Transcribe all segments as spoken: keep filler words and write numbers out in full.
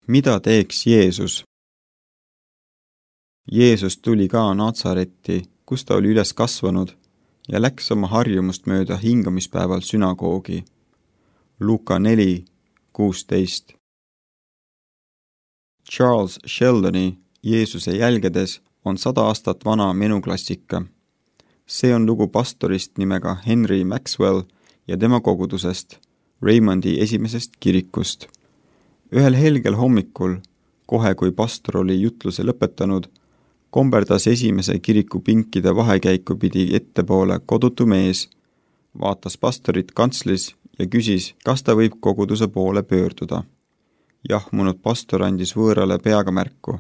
Mida teeks Jeesus? Jeesus tuli ka Natsaretti, kus ta oli üles kasvanud, ja läks oma harjumust mööda hingamispäeval sünagoogi. Luuka neli kuusteist. Charles Sheldoni Jeesuse jälgedes on sada aastat vana menuklassika. See on lugu pastorist nimega Henry Maxwell ja tema kogudusest, Raymondi esimesest kirikust. Ühel helgel hommikul, kohe kui pastor oli jutluse lõpetanud, komberdas esimese kiriku pinkide vahekäiku pidi ettepoole kodutu mees, vaatas pastorit kantslis ja küsis, kas ta võib koguduse poole pöörduda. Jahmunud pastor andis võõrale peaga märku.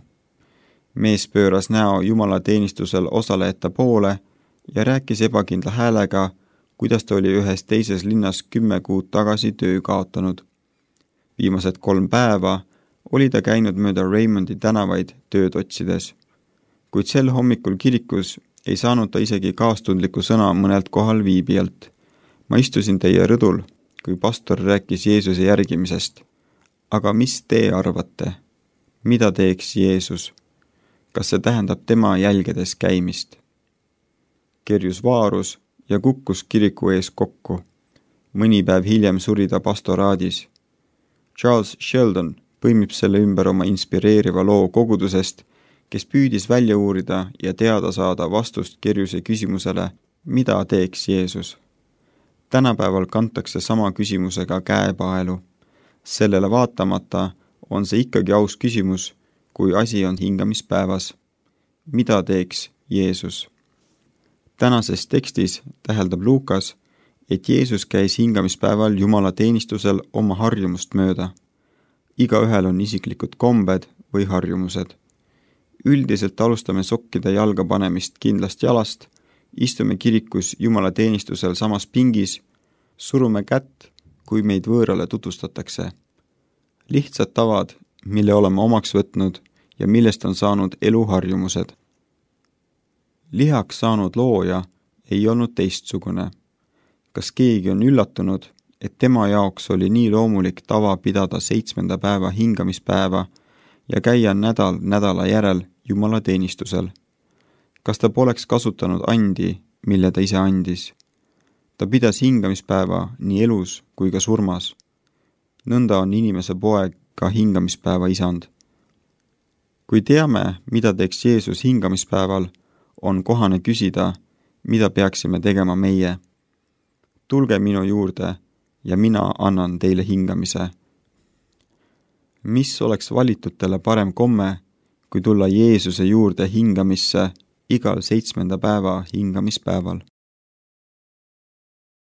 Mees pööras näo Jumala teenistusel osalejate poole ja rääkis ebakindla häälega, kuidas ta oli ühes teises linnas kümme kuud tagasi töö kaotanud. Viimased kolm päeva oli ta käinud mööda Raymondi tänavaid tööd otsides. Kuid sel hommikul kirikus ei saanud ta isegi kaastundliku sõna mõnelt kohal viibijalt. Ma istusin teie rõdul, kui pastor rääkis Jeesuse järgimisest. Aga mis te arvate? Mida teeks Jeesus? Kas see tähendab tema jälgedes käimist? Kerjus vaarus ja kukkus kiriku ees kokku. Mõni päev hiljem suri ta pastoraadis. Charles Sheldon põimib selle ümber oma inspireeriva loo kogudusest, kes püüdis välja uurida ja teada saada vastust Kerjuse küsimusele, mida teeks Jeesus. Tänapäeval kantakse sama küsimusega käepaelu. Sellele vaatamata on see ikkagi aus küsimus, kui asi on hingamispäevas. Mida teeks Jeesus? Tänases tekstis täheldab Luukas, et Jeesus käis hingamispäeval Jumala teenistusel oma harjumust mööda. Igaühel on isiklikud kombed või harjumused. Üldiselt alustame sokkide jalga panemist kindlast jalast, istume kirikus Jumala teenistusel samas pingis, surume kätt, kui meid võõrale tutvustatakse. Lihtsad tavad, mille oleme omaks võtnud ja millest on saanud eluharjumused. Lihaks saanud looja ei olnud teistsugune. Kas keegi on üllatunud, et tema jaoks oli nii loomulik tava pidada seitsmenda päeva hingamispäeva ja käia nädal nädala järel Jumala teenistusel? Kas ta poleks kasutanud andi, mille ta ise andis? Ta pidas hingamispäeva nii elus kui ka surmas. Nõnda on inimese poeg ka hingamispäeva isand. Kui teame, mida teeks Jeesus hingamispäeval, on kohane küsida, mida peaksime tegema meie. Tulge minu juurde ja mina annan teile hingamise. Mis oleks valitutele parem komme, kui tulla Jeesuse juurde hingamisse igal seitsmenda päeva hingamispäeval?